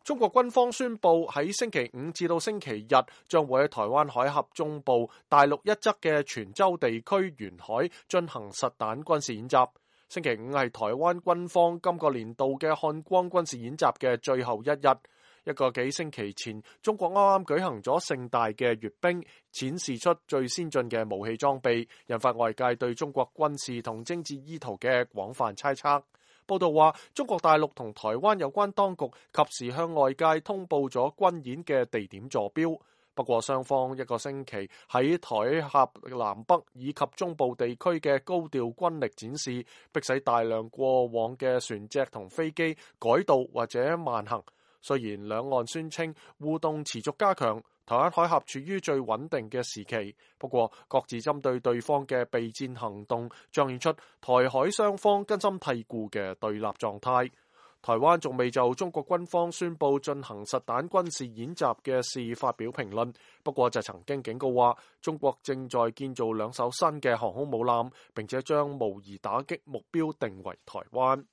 中國軍方宣布喺星期五至到星期日將會喺台灣海峽中部大陸一側嘅泉州地區沿海進行實彈軍事演習。星期五係台灣軍方今個年度嘅漢光軍事演習嘅最後一日。一個幾星期前，中國啱啱舉行咗盛大嘅閱兵，展示出最先進嘅武器裝備，引發外界對中國軍事同政治意圖嘅廣泛猜測。報道話，中國大陸同台灣有關當局及時向外界通報咗軍演嘅地點坐標。不過，雙方一個星期喺台峽南北以及中部地區嘅高調軍力展示，迫使大量過往嘅船隻同飛機改道或者慢行。雖然兩岸宣稱互動持續加強，台灣海峽處於最穩定嘅時期，不過各自針對對方嘅備戰行動，彰顯出台海雙方根深蒂固嘅對立狀態。台灣仲未就中國軍方宣布進行實彈軍事演習嘅事發表評論，不過就曾經警告話，中國正在建造2艘新嘅航空母艦，並且將模擬打擊目標定為台灣。